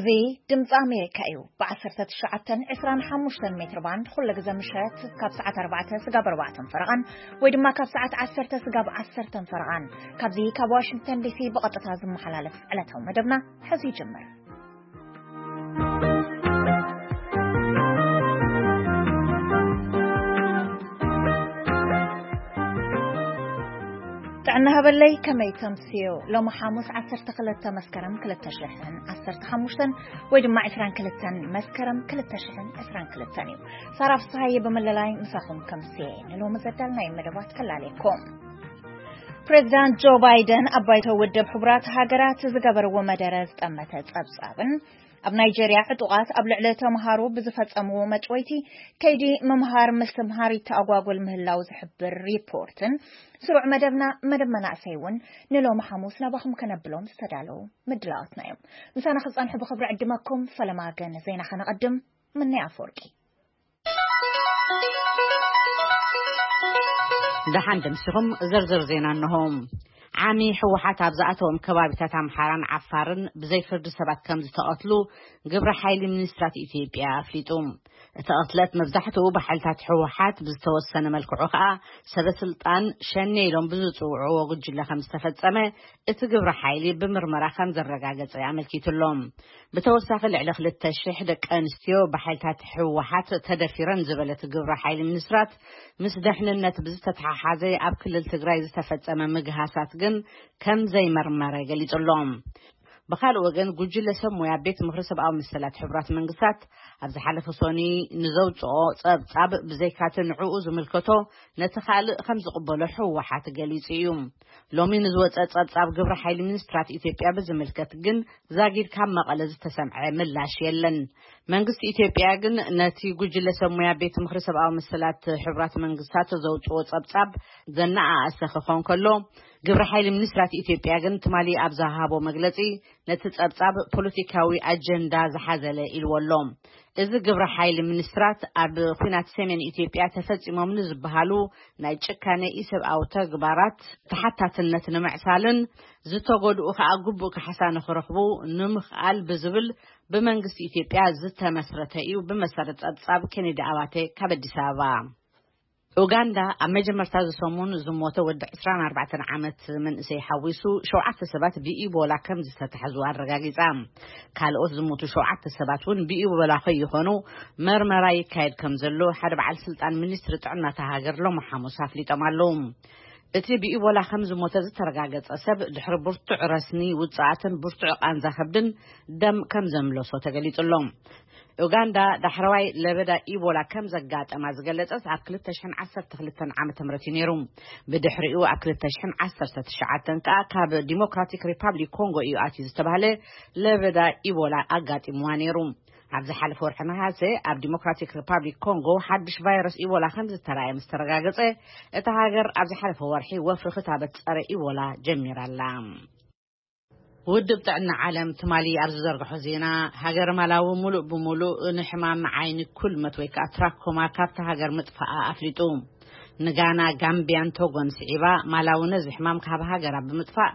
እዚ ድምፂ ኣሜሪካ እዩ። ብ19፣ 25 ሜትር ባንድ ኩሉ ግዜ ምሸት ካብ ሰዓት 4 ስጋብ 4 ፈረቓን ወይ ድማ ካብ ሰዓት 10 ስጋብ 10 ፈረቓን ካብዚ ካብ ዋሽንግተን ዲሲ ብቐጥታ ዝመሓላለፍ ዕለታዊ መደብና ሕዚ ይጅምር። ጥዕና ሃበለይ፣ ከመይ ተምስዮ? ሎሚ ሓሙስ 12 መስከረም 2015 ወይ ድማ 22 መስከረም 2022 እዩ። ሳራ ፍስሃየ ብምልላይ ምሳኹም ከምስየ ንሎሚ ዘዳልናዮ መደባት ከላለየኩም። ፕሬዚዳንት ጆ ባይደን ኣብ ባይቶ ውድብ ሕቡራት ሃገራት ዝገበርዎ መደረ ዝጠመተ ጸብጻብን ኣብ ናይጀርያ ዕጡቓት ኣብ ልዕሊ ተምሃሮ ብዝፈጸምዎ መጭወይቲ ከይዲ ምምሃር ምስትምሃር ይተኣጓጎል ምህላው ዝሕብር ሪፖርትን ስሩዕ መደብና መደብ መናእሰይ እውን ንሎሚ ሓሙስ ናባኹም ከነብሎም ዝተዳለዉ ምድላዋትና እዮም። ምሳና ክጸንሑ ብኽብሪ ዕድመኩም። ፈለማ ግን ዜና ከነቐድም። ምነይ ኣፈወርቂ። ደሓን ደምሲኹም። ዝርዝር ዜና እንሆ። ዓሚ ህወሓት ኣብ ዝኣተዎም ከባቢታት ኣምሓራን ዓፋርን ብዘይ ፍርዲ ሰባት ከም ዝተቐትሉ ግብረ ሓይሊ ሚኒስትራት ኢትዮጵያ ኣፍሊጡ። እቲ ቅትለት መብዛሕትኡ ብሓይልታት ህወሓት ብዝተወሰነ መልክዑ ከኣ ሰበ ስልጣን ሸኔ ኢሎም ብዝጽውዕዎ ጉጅለ ከም ዝተፈጸመ እቲ ግብረ ሓይሊ ብምርመራ ከም ዘረጋገጸ ኣመልኪቱ ኣሎ። ብተወሳኺ ልዕሊ 2,000 ደቂ ኣንስትዮ ብሓይልታት ህወሓት ተደፊረን ዝበለ እቲ ግብረ ሓይሊ ሚኒስትራት ምስ ደሕንነት ብዝተተሓሓዘ ኣብ ክልል ትግራይ ዝተፈጸመ ምግሃሳት ግን ከም ዘይመርመረ ገሊጹ ኣሎ። ብኻልእ ወገን ጉጅለ ሰብ ሞያ ቤት ምኽሪ ሰብኣዊ መሰላት ሕቡራት መንግስታት ኣብ ዝሓለፈ ሶኒ ንዘውፅኦ ጸብጻብ ብዘይካቲ ንዕኡ ዝምልከቶ ነቲ ካልእ ከም ዝቕበሎ ህወሓት ገሊጹ እዩ። ሎሚ ንዝወፀ ጸብጻብ ግብረ ሓይሊ ሚኒስትራት ኢትዮጵያ ብዝምልከት ግን ዛጊድ ካብ መቐለ ዝተሰምዐ ምላሽ የለን። መንግስቲ ኢትዮጵያ ግን ነቲ ጉጅለ ሰብ ሞያ ቤት ምኽሪ ሰብኣዊ መሰላት ሕቡራት መንግስታት ዘውፅኦ ጸብጻብ ዘነኣኣሰ ክኾን ከሎ ግብረ ሓይሊ ሚኒስትራት ኢትዮጵያ ግን ትማሊ ኣብ ዝሃቦ መግለጺ ነቲ ጸብጻብ ፖለቲካዊ ኣጀንዳ ዝሓዘለ ኢልዎ ኣሎ። እዚ ግብረ ሓይሊ ሚኒስትራት ኣብ ኲናት ሰሜን ኢትዮጵያ ተፈጺሞም ንዝበሃሉ ናይ ጭካነ ኢሰብኣዊ ተግባራት ተሓታትነት ንምዕሳልን ዝተጎድኡ ከኣ ግቡእ ካሕሳ ንኽረኽቡ ንምኽኣል ብዝብል ብመንግስቲ ኢትዮጵያ ዝተመስረተ እዩ። ብመሰረት ጸብጻብ ኬኔዲ ኣባተ ካብ ኣዲስ ኣበባ። ኡጋንዳ ኣብ መጀመርታ ዝሰሙን ዝሞተ ወዲ 24 ዓመት መንእሰይ ሓዊሱ ሸውዓተ ሰባት ብኢቦላ ከም ዝተታሕዙ ኣረጋጊጻ። ካልኦት ዝሞቱ ሸውዓተ ሰባት እውን ብኢቦላ ከይኾኑ መርመራ ይካየድ ከም ዘሎ ሓደ በዓል ስልጣን ሚኒስትሪ ጥዕና እታ ሃገር ሎሚ ሓሙስ ኣፍሊጦም ኣለዉ። እቲ ብኢቦላ ከም ዝሞተ ዝተረጋገጸ ሰብ ድሕሪ ብርቱዕ ረስኒ፣ ውጽኣትን ብርቱዕ ቃንዛ ከብድን ደም ከም ዘምለሶ ተገሊጹ ኣሎ። ኡጋንዳ ዳሕረዋይ ለበዳ ኢቦላ ከም ዘጋጠማ ዝገለጸት ኣብ 2012 ዓመተ ምህረት እዩ ነይሩ። ብድሕሪኡ ኣብ 2019 ከኣ ካብ ዲሞክራቲክ ሪፓብሊክ ኮንጎ እዩ ኣትዩ ዝተባህለ ለበዳ ኢቦላ ኣጋጢምዋ ነይሩ። ኣብ ዝሓለፈ ወርሒ ነሃሰ ኣብ ዲሞክራቲክ ሪፓብሊክ ኮንጎ ሓድሽ ቫይረስ ኢቦላ ከም ዝተራእየ ምስ ተረጋገጸ፣ እታ ሃገር ኣብ ዝሓለፈ ወርሒ ወፍሪ ክታበት ጸረ ኢቦላ ጀሚራ ኣላ። ውድብ ጥዕና ዓለም ትማሊ ኣብ ዝዘርግሖ ዜና፣ ሃገር ማላዊ ሙሉእ ብሙሉእ ንሕማም ዓይኒ ኩልመት ወይ ከዓ ትራኮማ ካብታ ሃገር ምጥፋኣ ኣፍሊጡ። ንጋና፣ ጋምቢያን ቶጎን ስዒባ፣ ማላዊ ነዚ ሕማም ካብ ሃገራ ብምጥፋእ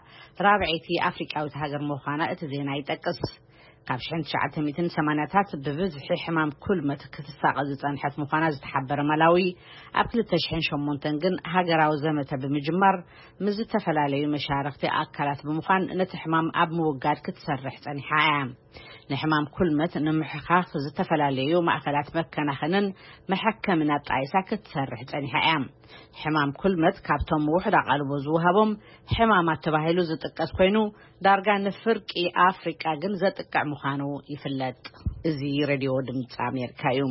ራብዐይቲ ኣፍሪቃዊት ሃገር ምዃና እቲ ዜና ይጠቅስ። ካብ 1980ታት ብብዝሒ ሕማም ኩልመት ክትሳቐ ዝጸንሐት ምዃና ዝተሓበረ ማላዊ፣ ኣብ 2008 ግን ሃገራዊ ዘመተ ብምጅማር ምስ ዝተፈላለዩ መሻርኽቲ ኣካላት ብምዃን ነቲ ሕማም ኣብ ምውጋድ ክትሰርሕ ጸኒሓ እያ። ንሕማም ኩልመት ንምሕኻኽ ዝተፈላለዩ ማእከላት መከናኸንን መሐከምን ኣጣይሳ ክትሰርሕ ጸኒሓ እያ። ሕማም ኩልመት ካብቶም ውሑድ ኣቓልቦ ዝወሃቦም ሕማማት ተባሂሉ ዝጥቀስ ኮይኑ፣ ዳርጋ ንፍርቂ ኣፍሪቃ ግን ዘጥቅዕ ምዃኑ ይፍለጥ። እዚ ሬድዮ ድምፂ ኣሜሪካ እዩ።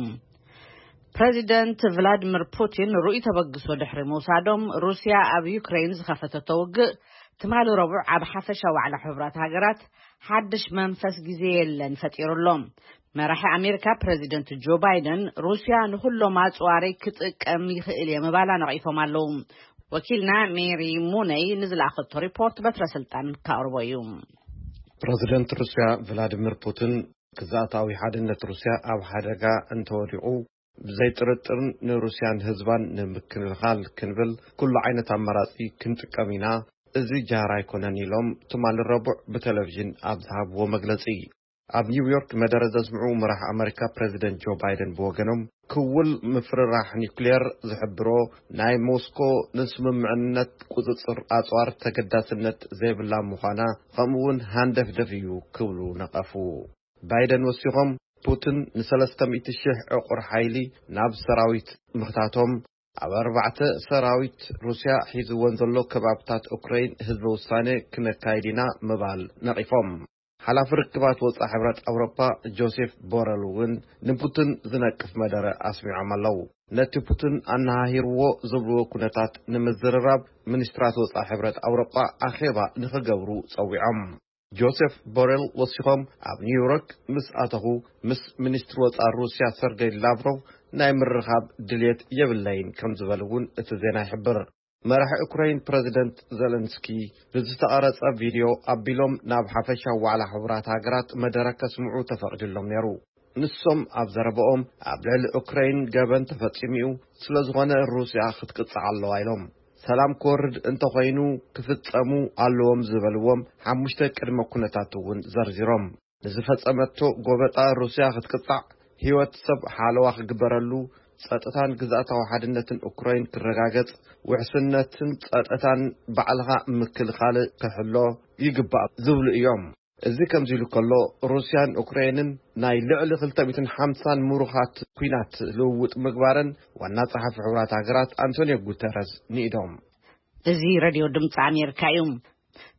ፕሬዚደንት ቭላድሚር ፑቲን ርኡይ ተበግሶ ድሕሪ ምውሳዶም፣ ሩስያ ኣብ ዩክሬን ዝኸፈተቶ ውግእ ትማሊ ረቡዕ ኣብ ሓፈሻ ዋዕላ ሕቡራት ሃገራት ሓድሽ መንፈስ ግዜ የለን ፈጢሩ ኣሎ። መራሒ ኣሜሪካ ፕሬዚደንት ጆ ባይደን ሩስያ ንኹሎም ኣጽዋሪ ክጥቀም ይኽእል እየ ምባላ ነቒፎም ኣለዉ። ወኪልና ሜሪ ሙነይ ንዝለኣኸቶ ሪፖርት በትረ ስልጣን ካቕርቦ እዩ። ፕሬዚደንት ሩስያ ቭላዲሚር ፑቲን ግዝኣታዊ ሓድነት ሩስያ ኣብ ሓደጋ እንተወዲቑ፣ ብዘይ ጥርጥር ንሩስያን ህዝባን ንምክልኻል ክንብል ኩሉ ዓይነት ኣማራጺ ክንጥቀም ኢና። እዚ ጃህራ ኣይኮነን ኢሎም ትማሊ ረቡዕ ብቴሌቪዥን ኣብ ዝሃብዎ መግለጺ። ኣብ ኒውዮርክ መደረ ዘስምዑ መራሕ ኣመሪካ ፕሬዚደንት ጆ ባይደን ብወገኖም፣ ክውል ምፍርራሕ ኒውክሌር ዝሕብሮ ናይ ሞስኮ ንስምምዕነት ቁጽጽር ኣጽዋር ተገዳስነት ዘይብላ ምዃና፣ ከምኡ እውን ሃንደፍደፍ እዩ ክብሉ ነቐፉ። ባይደን ወሲኾም፣ ፑቲን ን300,000 ዕቑር ሓይሊ ናብ ሰራዊት ምኽታቶም፣ ኣብ ኣርባዕተ ሰራዊት ሩስያ ሒዝወን ዘሎ ከባብታት ኡክራይን ህዝበ ውሳኔ ክነካይድ ኢና ምባል ነቒፎም። ሓላፊ ርክባት ወጻኢ ሕብረት ኣውሮጳ ጆሴፍ ቦረል እውን ንፑቲን ዝነቅፍ መደረ ኣስሚዖም ኣለዉ። ነቲ ፑቲን ኣነሃሂርዎ ዝብልዎ ኩነታት ንምዝርራብ፣ ሚኒስትራት ወጻኢ ሕብረት ኣውሮጳ ኣኼባ ንኽገብሩ ጸዊዖም። ጆሴፍ ቦሬል ወሲኾም፣ ኣብ ኒውዮርክ ምስ ኣተኹ፣ ምስ ሚኒስትሪ ወጻኢ ሩስያ ሰርገይ ላቭሮቭ ናይ ምርኻብ ድልየት የብለይን ከም ዝበሉ እውን እቲ ዜና ይሕብር። መራሒ ኡክራይን ፕረዚደንት ዘለንስኪ ብዝተቐረጸ ቪድዮ ኣቢሎም ናብ ሓፈሻዊ ዋዕላ ሕቡራት ሃገራት መደረ ከስምዑ ተፈቒዱሎም ነይሩ። ንሶም ኣብ ዘረባኦም፣ ኣብ ልዕሊ ኡክራይን ገበን ተፈጺሙ እዩ፣ ስለ ዝኾነ ሩስያ ክትቅጻዕ ኣለዋ ኢሎም። ሰላም ክወርድ እንተኾይኑ ክፍጸሙ ኣለዎም ዝበልዎም ሓሙሽተ ቅድመ ኩነታት እውን ዘርዚሮም። ንዝፈጸመቶ ጎበጣ ሩስያ ክትቅጻዕ፣ ህይወት ሰብ ሓለዋ ክግበረሉ፣ ጸጥታን ግዝኣታዊ ሓድነትን ኡክራይን ክረጋገጽ፣ ውሕስነትን ጸጥታን ባዕልኻ ምክልኻል ክሕሎ ይግባእ ዝብሉ እዮም። እዚ ከምዚ ኢሉ ከሎ፣ ሩስያን ኡክራይንን ናይ ልዕሊ ክልተ ሚእትን ሓምሳን ምሩኻት ኲናት ልውውጥ ምግባረን ዋና ጸሓፊ ሕቡራት ሃገራት ኣንቶኒዮ ጉተረዝ ንኢዶም። እዚ ሬድዮ ድምፂ ኣሜሪካ እዩ።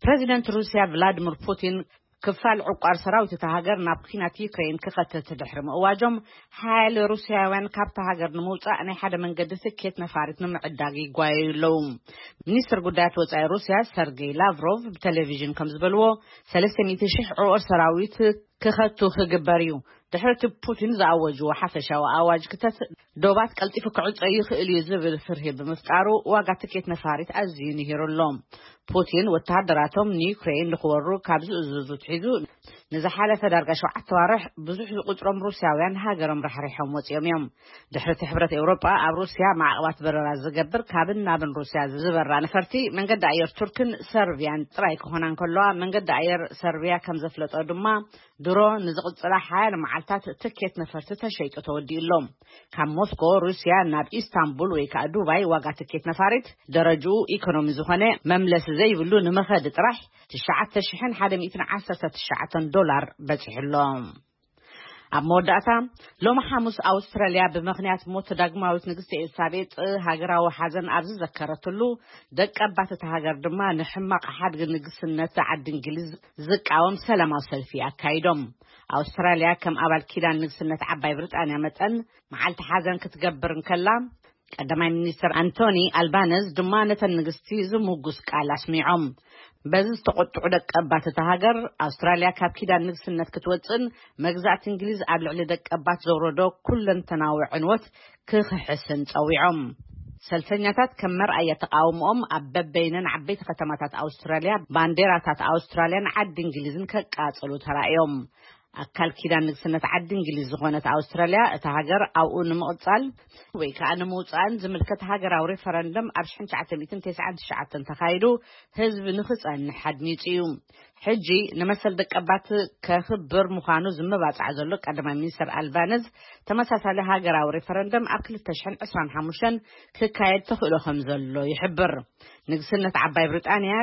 ፕሬዚደንት ሩስያ ቭላዲሚር ፑቲን ክፋል ዕቋር ሰራዊት እታ ሃገር ናብ ኲናት ዩክሬን ክኸትት ድሕሪ ምእዋጆም፣ ሓያለ ሩስያውያን ካብታ ሃገር ንምውፃእ ናይ ሓደ መንገዲ ትኬት ነፋሪት ንምዕዳግ ይጓየዩ ኣለዉ። ሚኒስትር ጉዳያት ወፃኢ ሩስያ ሰርጌይ ላቭሮቭ ብቴሌቪዥን ከም ዝበልዎ፣ ሰለስተ ሚእቲ ሺሕ ዕቑር ሰራዊት ክኸቱ ክግበር እዩ። ድሕሪ እቲ ፑቲን ዝኣወጅዎ ሓፈሻዊ ኣዋጅ ክተት፣ ዶባት ቀልጢፉ ክዕጾ ይኽእል እዩ ዝብል ፍርሂ ብምፍጣሩ፣ ዋጋ ትኬት ነፋሪት ኣዝዩ ንሂሩ ኣሎ። ፑቲን ወተሃደራቶም ንዩክሬን ንኽወሩ ካብ ዝእዝዙ ትሒዙ፣ ንዝሓለፈ ዳርጋ ሸውዓተ ኣዋርሕ ብዙሕ ዝቑጽሮም ሩስያውያን ሃገሮም ራሕሪሖም ወጺኦም እዮም። ድሕሪ እቲ ሕብረት ኤውሮጳ ኣብ ሩስያ ማዕቕባት በረራ ዝገብር፣ ካብን ናብን ሩስያ ዝበራ ነፈርቲ መንገዲ ኣየር ቱርክን ሰርቢያን ጥራይ ክኾና እንከለዋ፣ መንገዲ ኣየር ሰርቢያ ከም ዘፍለጦ ድማ፣ ድሮ ንዝቕጽላ ሓያለ መዓልታት ትኬት ነፈርቲ ተሸይጡ ተወዲኡ ኣሎ። ካብ ሞስኮ ሩስያ ናብ ኢስታንቡል ወይ ከኣ ዱባይ ዋጋ ትኬት ነፋሪት ደረጅኡ ኢኮኖሚ ዝኾነ መምለሲ ዘይብሉ ንመኸዲ ጥራሕ ትሽዓተ ሽሕን ሓደ ሚእትን ዓሰርተ ትሽዓተን ዶላር በጺሑ ኣሎ። ኣብ መወዳእታ፣ ሎሚ ሓሙስ ኣውስትራልያ ብምኽንያት ሞት ዳግማዊት ንግስቲ ኤልሳቤጥ ሃገራዊ ሓዘን ኣብ ዝዘከረትሉ፣ ደቀባት እታ ሃገር ድማ ንሕማቕ ሓድጊ ንግስነት ዓዲ እንግሊዝ ዝቃወም ሰላማዊ ሰልፊ ኣካይዶም። ኣውስትራልያ ከም ኣባል ኪዳን ንግስነት ዓባይ ብሪጣንያ መጠን መዓልቲ ሓዘን ክትገብር እንከላ፣ ቀዳማይ ሚኒስትር ኣንቶኒ ኣልባነዝ ድማ ነተን ንግስቲ ዝምጉስ ቃል ኣስሚዖም። በዚ ዝተቆጥዑ ደቀባት እታ ሃገር፣ ኣውስትራልያ ካብ ኪዳን ንግስነት ክትወፅእን መግዛእቲ እንግሊዝ ኣብ ልዕሊ ደቀባት ዘውረዶ ኩለንተናዊ ዕንወት ክኽሕስን ጸዊዖም። ሰልፈኛታት ከም መርኣያ ተቓውሞኦም ኣብ በበይነን ዓበይቲ ከተማታት ኣውስትራልያ ባንዴራታት ኣውስትራልያን ዓዲ እንግሊዝን ከቃጽሉ ተራእዮም። ኣካል ኪዳን ንግስነት ዓዲ እንግሊዝ ዝኾነት ኣውስትራልያ፣ እታ ሃገር ኣብኡ ንምቕጻል ወይ ከኣ ንምውጻእን ዝምልከት ሃገራዊ ሬፈረንደም ኣብ ሽሕን ትሽዓተ ሚእትን ተስዓን ትሽዓተን ተኻይዱ፣ ህዝቢ ንኽጸንሕ ኣድሚጹ እዩ። ሕጂ ንመሰል ደቀባት ከኽብር ምዃኑ ዝመባጻዕ ዘሎ ቀዳማይ ሚኒስትር ኣልባነዝ፣ ተመሳሳሊ ሃገራዊ ሬፈረንደም ኣብ ክልተ ሽሕን ዕስራን ሓሙሽተን ክካየድ ተኽእሎ ከም ዘሎ ይሕብር። ንግስነት ዓባይ ብሪጣንያ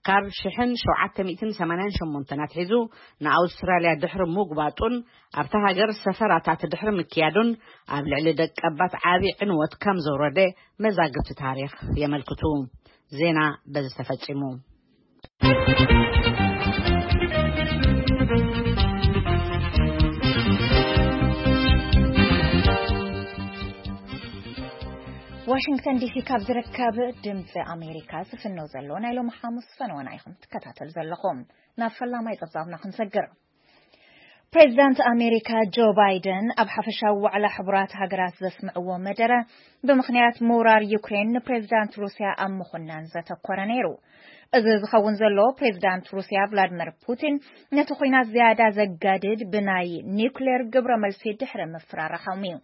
ካብ ሽሕን ሸውዓተ ሚእትን ሰማንያን ሸሞንተን ኣትሒዙ ንኣውስትራልያ ድሕሪ ምጉባጡን ኣብታ ሃገር ሰፈራታት ድሕሪ ምክያዱን ኣብ ልዕሊ ደቀባት ዓቢ ዕንወት ከም ዘውረደ መዛግብቲ ታሪኽ የመልክቱ። ዜና በዚ ተፈጺሙ። ዋሽንግተን ዲሲ ካብ ዝርከብ ድምፂ ኣሜሪካ ዝፍነው ዘሎ ናይ ሎሚ ሓሙስ ፈነወና ኢኹም ትከታተሉ ዘለኹም። ናብ ፈላማይ ጸብጻብና ክንሰግር። ፕሬዚዳንት ኣሜሪካ ጆ ባይደን ኣብ ሓፈሻዊ ዋዕላ ሕቡራት ሃገራት ዘስምዕዎ መደረ፣ ብምኽንያት ምውራር ዩክሬን ንፕሬዚዳንት ሩስያ ኣብ ምኹናን ዘተኮረ ነይሩ። እዚ ዝኸውን ዘሎ፣ ፕሬዚዳንት ሩስያ ቭላድሚር ፑቲን ነቲ ኲናት ዝያዳ ዘጋድድ ብናይ ኒውክሌር ግብረ መልሲ ድሕሪ ምፍራራሖም እዩ።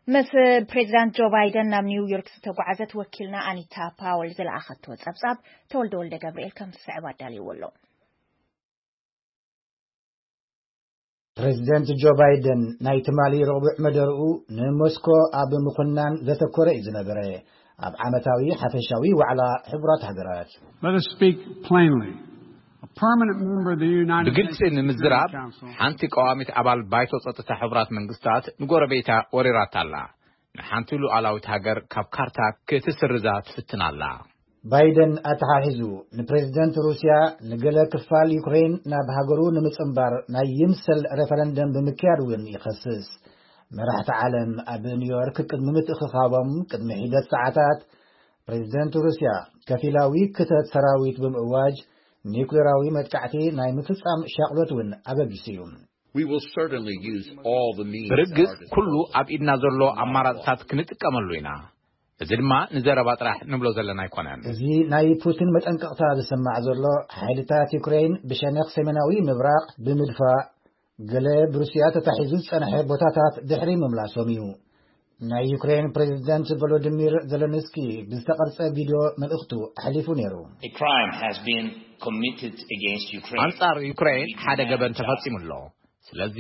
ምስ ፕሬዚዳንት ጆ ባይደን ናብ ኒውዮርክ ዝተጓዓዘት ወኪልና ኣኒታ ፓወል ዝለኣኸቶ ጸብጻብ፣ ተወልደ ወልደ ገብርኤል ከም ዝስዕብ ኣዳልይዎ ኣሎ። ፕሬዚደንት ጆ ባይደን ናይ ትማሊ ረቡዕ መደርኡ ንሞስኮ ኣብ ምኹናን ዘተኮረ እዩ ዝነበረ፣ ኣብ ዓመታዊ ሓፈሻዊ ዋዕላ ሕቡራት ሃገራት። Let us speak plainly. A permanent member of the United ብግልጺ Nations ንምዝራብ Security Council. ሓንቲ ቀዋሚት ኣባል ባይቶ ጸጥታ ሕቡራት መንግስታት ንጎረቤታ ወሪራታ ኣላ። ንሓንቲ ሉዓላዊት ሃገር ካብ ካርታ ክትስርዛ ትፍትን ኣላ። ባይደን ኣተሓሒዙ፣ ንፕሬዚደንት ሩስያ ንገለ ክፋል ዩክሬን ናብ ሃገሩ ንምጽንባር ናይ ይምሰል ሬፈረንደም ብምክያድ እውን ይኸስስ። መራሕቲ ዓለም ኣብ ኒውዮርክ ቅድሚ ምትእኽኻቦም ቅድሚ ሒደት ሰዓታት፣ ፕሬዚደንት ሩስያ ከፊላዊ ክተት ሰራዊት ብምእዋጅ፣ ኒውክሌራዊ መጥቃዕቲ ናይ ምፍጻም ሻቕሎት እውን ኣበጊሱ እዩ። We will certainly use all the means. ብርግጽ ኩሉ ኣብ ኢድና ዘሎ ኣማራጽታት ክንጥቀመሉ ኢና። እዚ ድማ ንዘረባ ጥራሕ ንብሎ ዘለና ኣይኮነን። እዚ ናይ ፑቲን መጠንቀቕታ ዝስማዕ ዘሎ፣ ሓይልታት ዩክሬን ብሸነኽ ሰሜናዊ ምብራቕ ብምድፋእ፣ ገለ ብሩስያ ተታሒዙ ዝጸንሐ ቦታታት ድሕሪ ምምላሶም እዩ። ናይ ዩክሬን ፕሬዚደንት ቮሎዲሚር ዘለንስኪ ብዝተቐርጸ ቪድዮ መልእኽቱ ኣሕሊፉ ነይሩ። A crime has been committed against Ukraine. ኣንጻር ዩክሬን ሓደ ገበን ተፈጺሙ ኣሎ። ስለዚ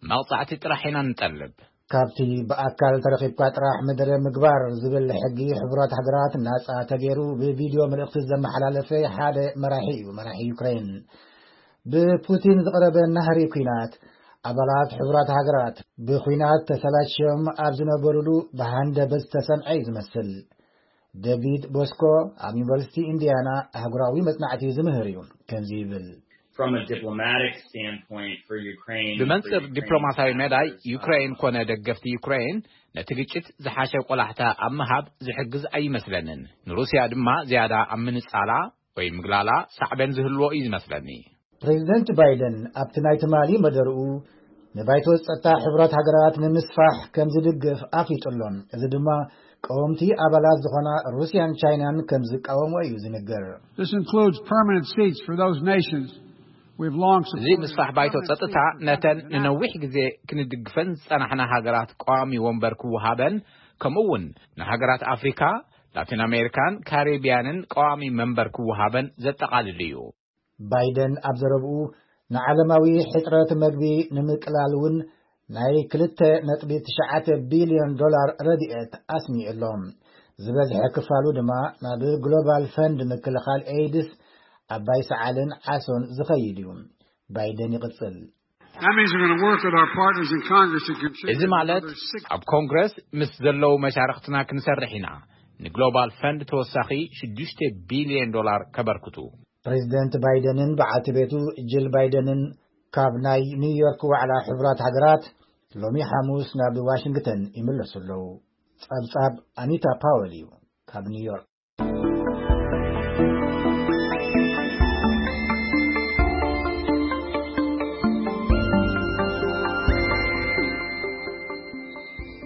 መቕጻዕቲ ጥራሕ ኢና ንጠልብ። ካብቲ ብኣካል ተረኺብካ ጥራሕ መደረ ምግባር ዝብል ሕጊ ሕቡራት ሃገራት ናጻ ተገይሩ ብቪድዮ መልእኽቲ ዘመሓላለፈ ሓደ መራሒ እዩ፣ መራሒ ዩክሬን። ብፑቲን ዝቐረበ ናህሪ ኲናት፣ ኣባላት ሕቡራት ሃገራት ብኲናት ተሰላችዮም ኣብ ዝነበሩሉ ብሃንደበት ዝተሰምዐ እዩ ዝመስል። ደቪድ ቦስኮ ኣብ ዩኒቨርሲቲ ኢንዲያና ኣህጉራዊ መጽናዕቲ ዝምህር እዩ። ከምዚ ይብል። From a diplomatic standpoint for Ukraine, ብመንጽር for Ukraine ዲፕሎማሲያዊ መዳይ supporters, ዩክሬን um, ኮነ ደገፍቲ ዩክሬን ነቲ ግጭት ዝሓሸ ቆላሕታ ኣብ ምሃብ ዝሕግዝ ኣይመስለንን። ንሩስያ ድማ ዝያዳ ኣብ ምንጻላ ወይ ምግላላ ሳዕቤን ዝህልዎ እዩ ዝመስለኒ። ፕሬዚደንት ባይደን ኣብቲ ናይ ትማሊ መደርኡ ንባይቶ ጸጥታ ሕቡራት ሃገራት ንምስፋሕ ከም ዝድግፍ ኣፍሊጡ ኣሎ። እዚ ድማ ቀወምቲ ኣባላት ዝኾና ሩስያን ቻይናን ከም ዝቃወሞ እዩ ዝንገር። This includes permanent seats for those nations we've long እዚ supported. ምስፋሕ ባይቶ ጸጥታ ነተን ንነዊሕ ግዜ ክንድግፈን ዝጸናሕና ሃገራት ቀዋሚ ወንበር ክወሃበን፣ ከምኡ እውን ንሃገራት ኣፍሪካ፣ ላቲን ኣሜሪካን ካሪቢያንን ቀዋሚ መንበር ክወሃበን ዘጠቓልል እዩ። ባይደን ኣብ ዘረብኡ፣ ንዓለማዊ ሕጽረት መግቢ ንምቅላል እውን ናይ ክልተ ነጥቢ ትሽዓተ ቢልዮን ዶላር ረድኤት ኣስሚዑ ኣሎ። ዝበዝሐ ክፋሉ ድማ ናብ ግሎባል ፈንድ ምክልኻል ኤይድስ፣ ኣባይ ሰዓልን ዓሶን ዝኸይድ እዩ። ባይደን ይቕጽል። That means we're going to work with our partners in Congress to contribute እዚ ማለት another six ኣብ ኮንግረስ ምስ ዘለዉ መሻርክትና ክንሰርሕ ኢና፣ ንግሎባል ፈንድ ተወሳኺ ሽዱሽተ ቢልዮን ዶላር ከበርክቱ። ፕሬዚደንት ባይደንን በዓልቲ ቤቱ ጅል ባይደንን ካብ ናይ ኒውዮርክ ዋዕላ ሕቡራት ሃገራት ሎሚ ሓሙስ ናብ ዋሽንግተን ይምለሱ ኣለዉ። ጸብጻብ ኣኒታ ፓወል እዩ ካብ ኒውዮርክ።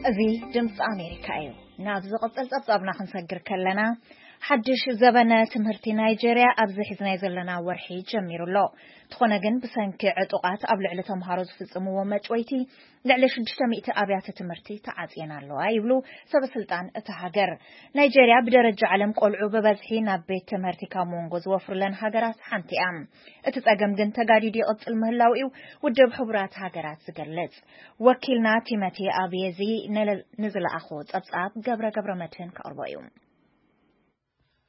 እዚ ድምፂ ኣሜሪካ እዩ። ናብ ዝቕጽል ጸብጻብና ክንሰግር ከለና፣ ሓድሽ ዘበነ ትምህርቲ ናይጀርያ ኣብዚ ሒዝናዮ ዘለና ወርሒ ጀሚሩ ኣሎ። እንተኾነ ግን፣ ብሰንኪ ዕጡቓት ኣብ ልዕሊ ተምሃሮ ዝፍጽምዎ መጭወይቲ፣ ልዕሊ ሽዱሽተ ሚእቲ ኣብያተ ትምህርቲ ተዓጽየን ኣለዋ ይብሉ ሰበ ስልጣን እታ ሃገር። ናይጀርያ ብደረጃ ዓለም ቆልዑ ብበዝሒ ናብ ቤት ትምህርቲ ካብ መንጎ ዝወፍሩለን ሃገራት ሓንቲ እያ። እቲ ጸገም ግን ተጋዲዱ ይቕጽል ምህላው እዩ ውድብ ሕቡራት ሃገራት ዝገልጽ። ወኪልና ቲሞቲ ኣብየዚ ንለ-፣ ንዝለኣኾ ጸብጻብ ገብረ ገብረ መድህን ከቕርቦ እዩ።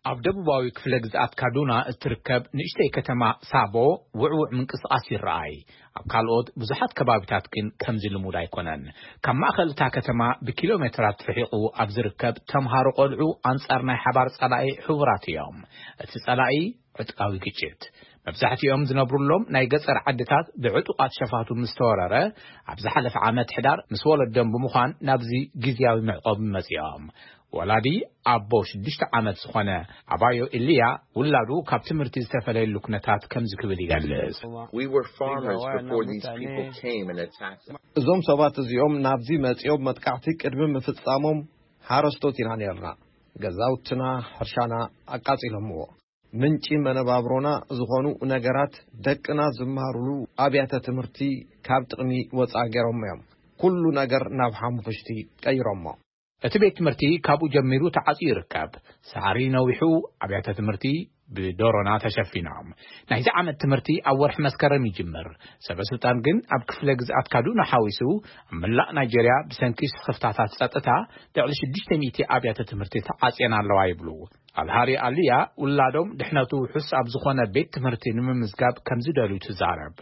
ኣብ ደቡባዊ ክፍለ ግዝኣት ካዱና እትርከብ ንእሽተይ ከተማ ሳቦ ውዕውዕ ምንቅስቓስ ይረኣይ። ኣብ ካልኦት ብዙሓት ከባቢታት ግን ከምዚ ልሙድ ኣይኮነን። ካብ ማእከል እታ ከተማ ብኪሎ ሜትራት ርሒቑ ኣብ ዝርከብ ተምሃሮ ቆልዑ ኣንጻር ናይ ሓባር ጸላኢ ሕቡራት እዮም። እቲ ጸላኢ ዕጥቃዊ ግጭት። መብዛሕትኦም ዝነብሩሎም ናይ ገጸር ዓድታት ብዕጡቓት ሸፋቱ ምስ ተወረረ፣ ኣብ ዝሓለፈ ዓመት ሕዳር ምስ ወለዶም ብምዃን ናብዚ ግዝያዊ መዕቆቢ መጺኦም። ወላዲ ኣቦ ሽዱሽተ ዓመት ዝኾነ ኣባዮ ኢልያ፣ ውላዱ ካብ ትምህርቲ ዝተፈለየሉ ኩነታት ከምዚ ክብል ይገልጽ። We were farmers before these people came and attacked us. እዞም ሰባት እዚኦም ናብዚ መጺኦም መጥቃዕቲ ቅድሚ ምፍጻሞም ሓረስቶት ኢና ነርና። ገዛውትና፣ ሕርሻና ኣቃጺሎምዎ። ምንጪ መነባብሮና ዝኾኑ ነገራት፣ ደቅና ዝመሃሩሉ ኣብያተ ትምህርቲ ካብ ጥቕሚ ወጻኢ ገይሮሞ እዮም። ኩሉ ነገር ናብ ሓሙኽሽቲ ቀይሮሞ። እቲ ቤት ትምህርቲ ካብኡ ጀሚሩ ተዓጽዩ ይርከብ። ሳዕሪ ነዊሑ፣ ኣብያተ ትምህርቲ ብዶሮና ተሸፊኖም። ናይዚ ዓመት ትምህርቲ ኣብ ወርሒ መስከረም ይጅምር። ሰበ ስልጣን ግን ኣብ ክፍለ ግዝኣት ካዱና ሓዊሱ ኣብ መላእ ናይጀርያ ብሰንኪ ስኽፍታታት ጸጥታ ልዕሊ ሽዱሽተ ሚእቲ ኣብያተ ትምህርቲ ተዓጽየን ኣለዋ ይብሉ። ኣልሃሪ ኣልያ ውላዶም ድሕነቱ ውሑስ ኣብ ዝኾነ ቤት ትምህርቲ ንምምዝጋብ ከም ዝደልዩ ትዛረብ።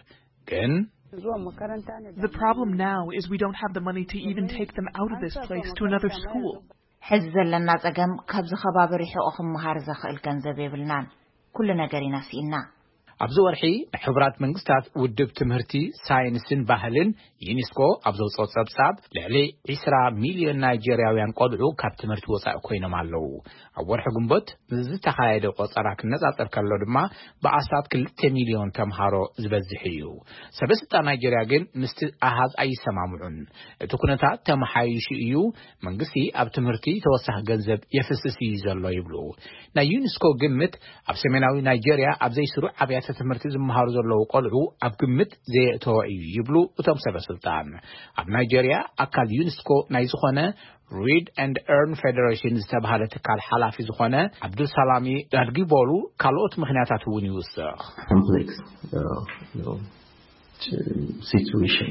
ግን The problem now is we don't have the money to even take them out of this place to another school. ሕዚ ዘለና ጸገም ካብዚ ከባቢ ርሒቑ ክመሃር ዘኽእል ገንዘብ የብልናን። ኩሉ ነገር ኢና ስኢና። ኣብዚ ወርሒ ናይ ሕቡራት መንግስታት ውድብ ትምህርቲ፣ ሳይንስን ባህልን፣ ዩኒስኮ፣ ኣብ ዘውፅኦ ጸብጻብ ልዕሊ ዒስራ ሚልዮን ናይጀርያውያን ቆልዑ ካብ ትምህርቲ ወጻኢ ኮይኖም ኣለዉ። ኣብ ወርሒ ግንቦት ዝተኻየደ ቆጸራ ክነጻጸር ከሎ ድማ ብኣስታት ክልተ ሚልዮን ተምሃሮ ዝበዝሕ እዩ። ሰበስልጣን ናይጀርያ ግን ምስቲ ኣሃዝ ኣይሰማምዑን። እቲ ኩነታት ተመሓይሹ እዩ፣ መንግስቲ ኣብ ትምህርቲ ተወሳኺ ገንዘብ የፍስስ እዩ ዘሎ ይብሉ። ናይ ዩኒስኮ ግምት ኣብ ሰሜናዊ ናይጀርያ ኣብ ዘይስሩዕ ኣብያተ ትምህርቲ ዝመሃሩ ዘለዉ ቆልዑ ኣብ ግምት ዘየእተወ እዩ ይብሉ እቶም ሰበስልጣን። ኣብ ናይጀርያ ኣካል ዩኒስኮ ናይ ዝኾነ Read and Earn Federation ዝተባሃለ ትካል ሓላፊ ዝኾነ ኣብዱልሳላሚ ዳድጊቦሉ ካልኦት ምኽንያታት እውን ይውስኽ። Complex uh, you know, situation.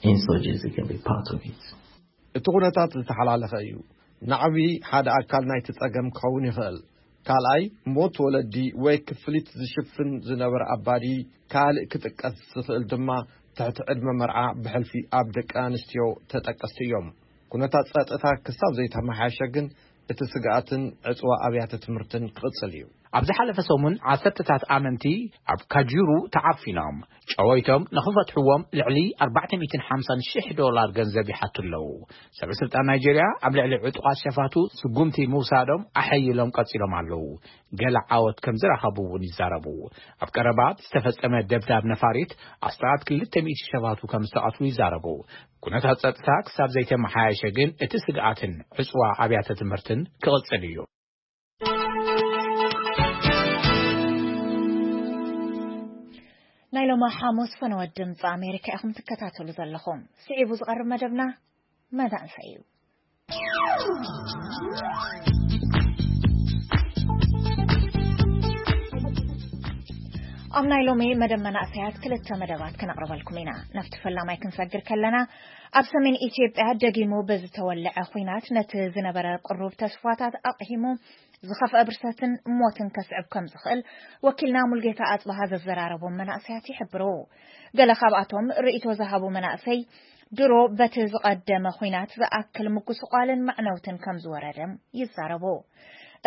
Insurgency can be part of it. እቲ ኩነታት ዝተሓላለኸ እዩ። ናዕቢ ሓደ ኣካል ናይቲ ጸገም ክኸውን ይኽእል። ካልኣይ፣ ሞት ወለዲ ወይ ክፍሊት ዝሽፍን ዝነበረ ኣባዲ ካልእ ክጥቀስ ዝኽእል ድማ ትሕቲ ዕድመ መርዓ ብሕልፊ ኣብ ደቂ ኣንስትዮ ተጠቀስቲ እዮም። ኩነታት ጸጥታ ክሳብ ዘይተመሓየሸ ግን እቲ ስግኣትን ዕጽዋ ኣብያተ ትምህርትን ክቕጽል እዩ። ኣብ ዝሓለፈ ሰሙን ዓሰርተታት ኣመንቲ ኣብ ካጁሩ ተዓፊኖም ጨወይቶም ንኽፈትሕዎም ልዕሊ ኣርባዕተ ሚእትን ሓምሳን ሽሕ ዶላር ገንዘብ ይሓቱ ኣለዉ። ሰበ ስልጣን ናይጀርያ ኣብ ልዕሊ ዕጡቓት ሸፋቱ ስጉምቲ ምውሳዶም ኣሐይሎም ቀጺሎም ኣለዉ። ገለ ዓወት ከም ዝረኸቡ እውን ይዛረቡ። ኣብ ቀረባ ዝተፈጸመ ደብዳብ ነፋሪት ኣስታት ክልተ ሚእቲ ሸፋቱ ከም ዝተቐትሉ ይዛረቡ። ኩነታት ጸጥታ ክሳብ ዘይተመሓየሸ ግን እቲ ስግኣትን ዕጽዋ ኣብያተ ትምህርትን ክቕጽል እዩ። ናይ ሎማ ሓሙስ ፈነወት ድምፂ ኣሜሪካ ኢኹም ትከታተሉ ዘለኹም። ስዒቡ ዝቐርብ መደብና መዳንሳ እዩ። ኣብ ናይ ሎሚ መደብ መናእሰያት ክልተ መደባት ክነቕርበልኩም ኢና። ናብቲ ፈላማይ ክንሰግር ከለና፣ ኣብ ሰሜን ኢትዮጵያ ደጊሙ ብዝተወለዐ ኹናት ነቲ ዝነበረ ቅሩብ ተስፋታት ኣቕሂሙ ዝኸፍአ ብርሰትን ሞትን ከስዕብ ከም ዝኽእል ወኪልና ሙልጌታ ኣጽብሃ ዘዘራረቦም መናእሰያት ይሕብሩ። ገለ ካብኣቶም ርእይቶ ዝሃቡ መናእሰይ ድሮ በቲ ዝቐደመ ኹናት ዝኣክል ምጉስቋልን መዕነውትን ከም ዝወረደም ይዛረቡ።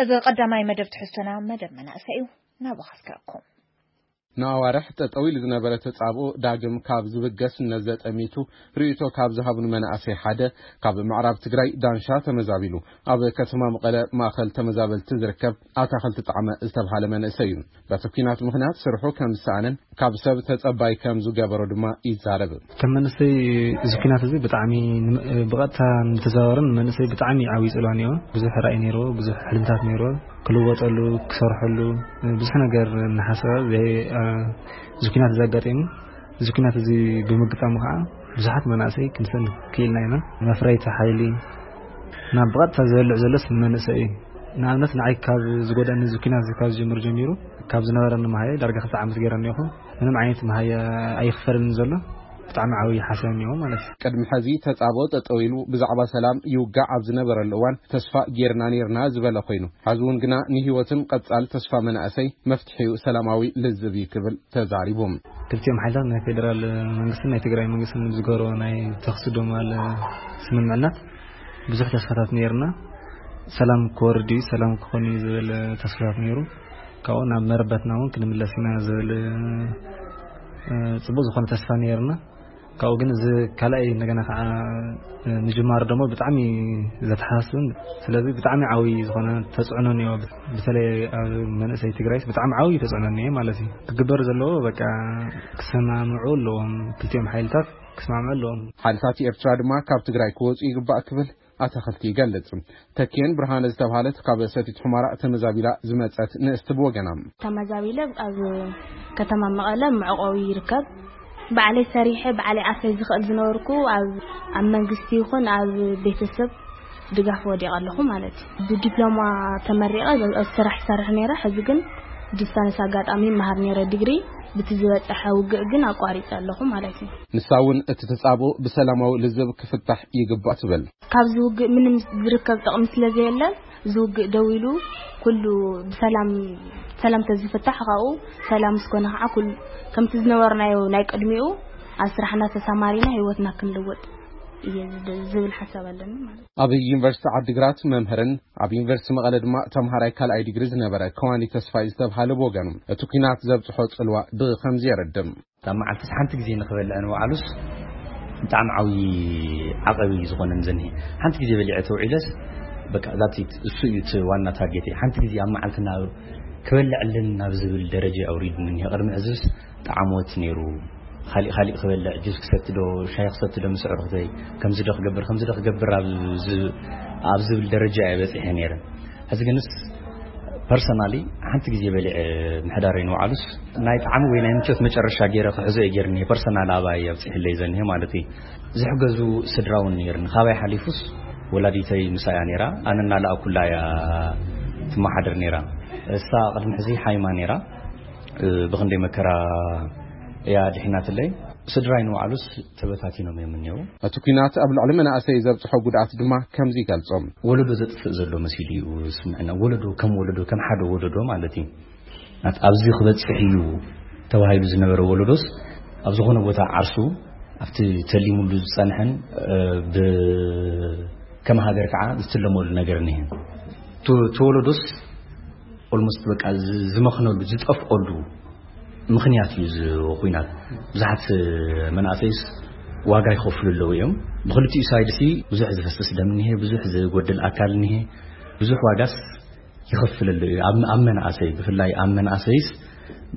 እዚ ቀዳማይ መደብ ትሕዝቶና መደብ መናእሰይ እዩ። ናብኡ ከስከረኩም። ንኣዋርሕ ጠጠው ኢሉ ዝነበረ ተጻብኦ ዳግም ካብ ዝብገስ ነዘጠሚቱ ርእይቶ ካብ ዝሃቡን መናእሰይ ሓደ ካብ ምዕራብ ትግራይ ዳንሻ ተመዛቢሉ ኣብ ከተማ መቐለ ማእኸል ተመዛበልቲ ዝርከብ ኣታኸልቲ ጣዕመ ዝተብሃለ መንእሰይ እዩ። በቲ ኲናት ምኽንያት ስርሑ ከም ዝሰኣነን ካብ ሰብ ተጸባይ ከም ዝገበሮ ድማ ይዛረብ። ከም መንእሰይ እዚ ኲናት እዚ ብጣዕሚ ብቐጥታ ንተዘዋወርን መንእሰይ ብጣዕሚ ዓብዪ ጽልዋ ነይሩ። ብዙሕ ራእይ ነይሩ፣ ብዙሕ ሕልምታት ነይሩ። ክልወጠሉ፣ ክሰርሐሉ ብዙሕ ነገር እናሓሰበ እዚ ኩናት እዚ ኣጋጢሙ። እዚ ኩናት እዚ ብምግጣሙ ከዓ ብዙሓት መናእሰይ ክንሰንድ ክኢልና ኢና። መፍረይቲ ሓይሊ ናብ ብቐጥታ ዘልዕ ዘሎስ ንመንእሰይ እዩ። ንኣብነት ንዓይ ካብ ዝጎዳኒ እዚ ኩናት እዚ ካብ ዝጀምር ጀሚሩ ካብ ዝነበረኒ መሃየ ዳርጋ ክልተ ዓመት ገይረ እኒኹ። ምንም ዓይነት መሃየ ኣይኽፈልኒ ዘሎ። ብጣዕሚ ዓብዪ ሓሳብ እኒኦ ማለት እዩ። ቅድሚ ሕዚ ተጻብኦ ጠጠው ኢሉ ብዛዕባ ሰላም ይውጋዕ ኣብ ዝነበረሉ እዋን ተስፋ ጌርና ኔርና ዝበለ ኮይኑ፣ ሐዚ እውን ግና ንህይወትን ቀጻል ተስፋ መናእሰይ መፍትሒኡ ሰላማዊ ልዝብ እዩ ክብል ተዛሪቡ። ክልቲኦም ሓይልታት ናይ ፌደራል መንግስትን ናይ ትግራይ መንግስትን ብዝገበሮ ናይ ተኽሲ ዶማል ስምምዕነት ብዙሕ ተስፋታት ነይርና። ሰላም ክወርድ እዩ፣ ሰላም ክኾን እዩ ዝብል ተስፋታት ነይሩ። ካብኡ ናብ መረበትና እውን ክንምለስ ኢና ዝብል ጽቡቅ ዝኾነ ተስፋ ነይርና። ካብኡ ግን እዚ ካልኣይ እንደገና ከዓ ምጅማር ደሞ ብጣዕሚ ዘተሓሳስብን ስለዚ ብጣዕሚ ዓብይ ዝኾነ ተፅዕኖ እኒኦ። በተለይ ኣብ መንእሰይ ትግራይስ ብጣዕሚ ዓብይ ተፅዕኖ እኒኦ ማለት እዩ። ክግበር ዘለዎ በቃ ክሰማምዑ ኣለዎም፣ ክልቲኦም ሓይልታት ክስማምዑ ኣለዎም። ሓይልታት ኤርትራ ድማ ካብ ትግራይ ክወፁ ይግባእ ክብል ኣታኸልቲ ይገልጽ። ተኪኤን ብርሃነ ዝተባህለት ካብ ሰቲት ሑመራ ተመዛቢላ ዝመጸት ንእስቲ ብወገና። ተመዛቢለ ኣብ ከተማ መቐለ መዕቆቢ ይርከብ። ባዕለይ ሰሪሐ ባዕለይ ኣፈይ ዝኽእል ዝነበርኩ ኣብ ኣብ መንግስቲ ይኹን ኣብ ቤተሰብ ድጋፍ ወዲቐ ኣለኹ ማለት እዩ። ብዲፕሎማ ተመሪቐ ኣብ ስራሕ ይሰርሕ ነይረ። ሕዚ ግን ዲስታንስ ኣጋጣሚ መሃር ነይረ ዲግሪ፣ ብቲ ዝበፀሐ ውግእ ግን ኣቋሪፀ ኣለኹ ማለት እዩ። ንሳ እውን እቲ ተጻብኦ ብሰላማዊ ልዝብ ክፍታሕ ይግባእ ትብል። ካብዚ ውግእ ምንም ዝርከብ ጥቕሚ ስለ ዘየለን፣ እዚ ውግእ ደው ኢሉ ኩሉ ብሰላም ሰላም ተዝፍታሕ፣ ካብኡ ሰላም ስኮነ ከዓ ኩሉ ከምቲ ዝነበርናዮ ናይ ቅድሚኡ ኣብ ስራሕና ተሰማሪና ህይወትና ክንልወጥ እየ ዝብል ሓሳብ ኣለኒ ማለት እዩ። ኣብ ዩኒቨርሲቲ ዓዲግራት መምህርን ኣብ ዩኒቨርሲቲ መቐለ ድማ ተምሃራይ ካልኣይ ዲግሪ ዝነበረ ከዋኒ ተስፋይ ዝተብሃለ ብወገኑ፣ እቲ ኲናት ዘብፅሖ ፅልዋ ብኸምዚ የረድም። ካብ መዓልትስ ሓንቲ ግዜ ንኽበልዕ ንባዕሉስ ብጣዕሚ ዓብዪ ዓቐብ እዩ ዝኾነን ዘኒሀ። ሓንቲ ግዜ በሊዐ ተውዒለስ በቃ that's it፣ እሱ እዩ እቲ ዋና ታርጌተይ። ሓንቲ ግዜ ኣብ መዓልትና ክበልዕ ኣለኒ ናብ ዝብል ደረጃ ኣውሪድኒ እኒሀ። ቅድሚ ሕዝስ ጣዕሞት ነይሩ። ካሊእ ካሊእ ክበልዕ፣ ጁስ ክሰቲ ዶ፣ ሻሂ ክሰቲ ዶ ምስ ኣዕሩኽተይ፣ ከምዚ ዶ ክገብር፣ ከምዚ ዶ ክገብር ኣብ ዝ-፣ ኣብ ዝብል ደረጃ እየ በፂሐ ነይረ። ሕዚ ግንስ ፐርሰናሊ ሓንቲ ግዜ በሊዐ ምሕዳረይ ንባዕሉስ ናይ ጣዕሚ ወይ ናይ ምቾት መጨረሻ ገይረ ክሕዞ እየ ገይርኒ። ፐርሰናል ኣባይ ኣብፂሕለይ ዘኒሀ ማለት እዩ። ዝሕገዙ ስድራ እውን ነይርኒ። ካባይ ሓሊፉስ ወላዲተይ ምሳያ ነይራ። ኣነ እናለኣኩላ እያ ትመሓደር ነይራ። እሳ ቅድሚ ሕዚ ሓይማ ነይራ። እ፣ ብኽንደይ መከራ እያ ድሒናትለይ። ስድራይ ንባዕሉስ ተበታቲኖም እዮም እኒአው። እቲ ኲናት ኣብ ልዕሊ መናእሰይ ዘብፅሖ ጉድኣት ድማ ከምዚ ይገልጾ። ወለዶ ዘጥፍእ ዘሎ መሲሉ እዩ ዝስምዐና። ወለዶ ከም ወለዶ፣ ከም ሓደ ወለዶ ማለት እዩ። ናት ኣብዚ ክበፅሕ እዩ ተባሂሉ ዝነበረ ወለዶስ ኣብ ዝኾነ ቦታ ዓርሱ ኣብቲ ተሊሙሉ ዝፀንሐን፣ እ፣ ብ-፣ ከም ሃገር ከዓ ዝትለመሉ ነገር እኒሀ። እቲ፣ እቲ ወለዶስ ኦልሞስት በቃ ዝ-፣ ዝመኽነሉ፣ ዝጠፍኦሉ ምኽንያት እዩ እዚ ኹናት። ብዙሓት መናእሰይስ ዋጋ ይኸፍሉ ኣለዉ እዮም። ብኽልቲኡ ሳይድ ሲ ብዙሕ ዝፈስስ ደም እኒሀ፣ ብዙሕ ዝጎድል ኣካል እኒሀ፣ ብዙሕ ዋጋስ ይኸፍል ኣሎ እዩ። ኣብ፣ ኣብ መናእሰይ፣ ብፍላይ ኣብ መናእሰይስ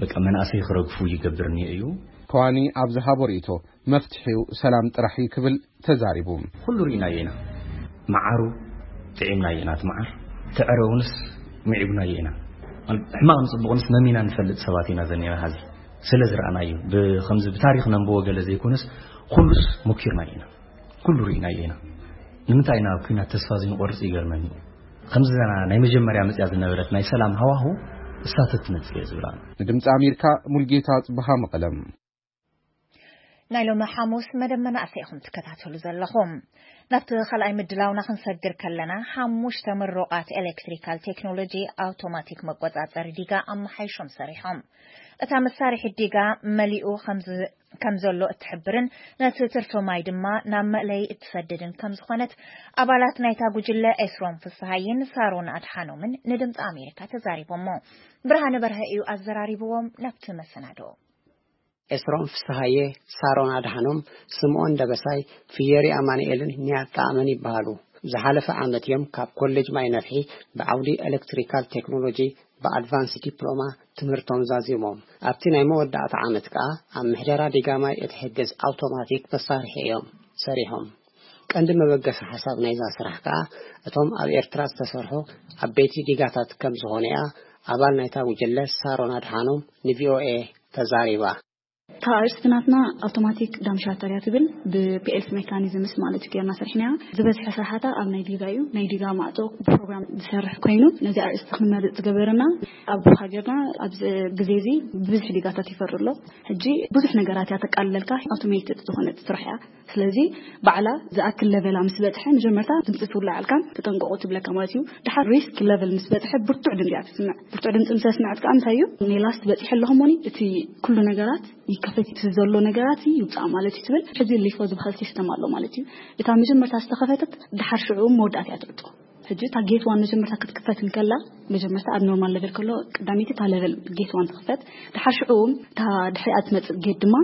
በቃ መናእሰይ ክረግፉ ይገብር እኒሀ እዩ። ከዋኒ ኣብ ዝሃቦ ርእይቶ፣ መፍትሒኡ ሰላም ጥራሕ እዩ ክብል ተዛሪቡ። ኩሉ ርኢናዮ ኢና። መዓሩ ጥዒምናዮ ኢና፣ እቲ መዓር። እቲ ዕረ እውንስ ምዒጉናዮ ኢና። ማለት ሕማቕ ንጽቡቕንስ መሚና ንፈልጥ ሰባት ኢና ዘኒና ሐዚ። ስለ ዝረኣናዮ፣ ብኸምዚ ብታሪኽ ነንብቦ ገለ ዘይኮነስ፣ ኩሉስ ሞኪርናዮ ኢና። ኩሉ ርኢናዮ ኢና። ንምንታይ ኢና ኣብ ኲናት ተስፋ ዘይንቆርጽ ይገርመኒ። ከምዚ ዘና ናይ መጀመርያ መጽያ ዝነበረት ናይ ሰላም ሃዋሁ እሳተት ትመጽእ እየ ዝብላ። ንድምጺ ኣሜሪካ ሙልጌታ ጽብሃ መቐለም። ናይ ሎሚ ሓሙስ መደብ መናእሰይ ኢኹም ትከታተሉ ዘለኹም። ናብቲ ካልኣይ ምድላውና ክንሰግር ከለና፣ ሓሙሽተ ምሩቓት ኤሌክትሪካል ቴክኖሎጂ ኣውቶማቲክ መቆጻጸሪ ዲጋ ኣመሓይሾም ሰሪሖም። እታ መሳርሒት ዲጋ መሊኡ ከም ዝ-፣ ከም ዘሎ እትሕብርን ነቲ ትርፊ ማይ ድማ ናብ መእለዪ እትሰድድን ከም ዝኾነት ኣባላት ናይታ ጉጅለ ኤስሮም ፍስሃየን ሳሮን ኣድሓኖምን ንድምፂ ኣሜሪካ ተዛሪቦሞ። ብርሃነ በርሀ እዩ ኣዘራሪብዎም። ናብቲ መሰናዶ። ኤስሮም ፍስሃየ፣ ሳሮን ኣድሓኖም፣ ስምኦን ደበሳይ፣ ፍየሪ ኣማኑኤልን ኒያት ጣዕመን ይበሃሉ። ዝሓለፈ ዓመት እዮም ካብ ኮሌጅ ማይ ነፍሒ ብዓውዲ ኤሌክትሪካል ቴክኖሎጂ ብኣድቫንስ ዲፕሎማ ትምህርቶም ዛዚሞም። ኣብቲ ናይ መወዳእታ ዓመት ከኣ ኣብ ምሕደራ ዲጋ ማይ እትሕግዝ ኣውቶማቲክ መሳርሒ እዮም ሰሪሖም። ቀንዲ መበገሲ ሓሳብ ናይዛ ስራሕ ከኣ እቶም ኣብ ኤርትራ ዝተሰርሑ ዓበይቲ ዲጋታት ከም ዝኾነ እያ ኣባል ናይታ ጉጅለ ሳሮን ኣድሓኖም ንቪኦኤ ተዛሪባ። እታ ኣርእስቲ ናትና ኣውቶማቲክ ዳም ሻተር እያ ትብል። ብፒኤልሲ ሜካኒዝምስ ማለት እዩ ጌርና ሰሪሕናያ። ዝበዝሐ ስራሓታ ኣብ ናይ ዲጋ እዩ። ናይ ዲጋ ማዕጾ ብፕሮግራም ዝሰርሕ ኮይኑ፣ ነዚ ኣርእስቲ ክንመርጽ ዝገበረና፣ ኣብ ሃገርና ኣብዚ ግዜ እዚ ብብዝሒ ዲጋታት ይፈሪ ኣሎ። ሕጂ ብዙሕ ነገራት እያ ተቃልለልካ፣ ኣውቶሜትድ ዝኾነት ስራሕ እያ። ስለዚ ባዕላ ዝኣክል ለቨላ ምስ በጽሐ፣ መጀመርታ ድምጺ ትውላዓልካን ተጠንቀቑ ትብለካ ማለት እዩ። ድሓር ሪስክ ለቨል ምስ በጽሐ፣ ብርቱዕ ድምጺ እያ ትስምዕ። ብርቱዕ ድምጺ ምስ ኣስምዐት ከኣ እንታይ እዩ? ኔላስት በጺሐ ኣለኹ ሞኒ፣ እቲ ኩሉ ነገራት ይከፈት፣ እቲ ዘሎ ነገራት ይውጻእ ማለት እዩ ትብል። ሕዚ ሊፎ ዝበሃል ሲስተም ኣሎ ማለት እዩ። እታ መጀመርታ ዝተኸፈተት፣ ድሓር ሽዑ መወዳእታ እያ ትዕጾ። ሕጂ እታ ጌት ዋን መጀመርታ ክትክፈት እንከላ፣ መጀመርታ ኣብ ኖርማል ለቨል ከሎ፣ ቀዳመይቲ እታ ለቨል ጌት ዋን ትኽፈት። ድሓር ሽዑ እታ ድሕሪኣ ትመጽእ ጌት ድማ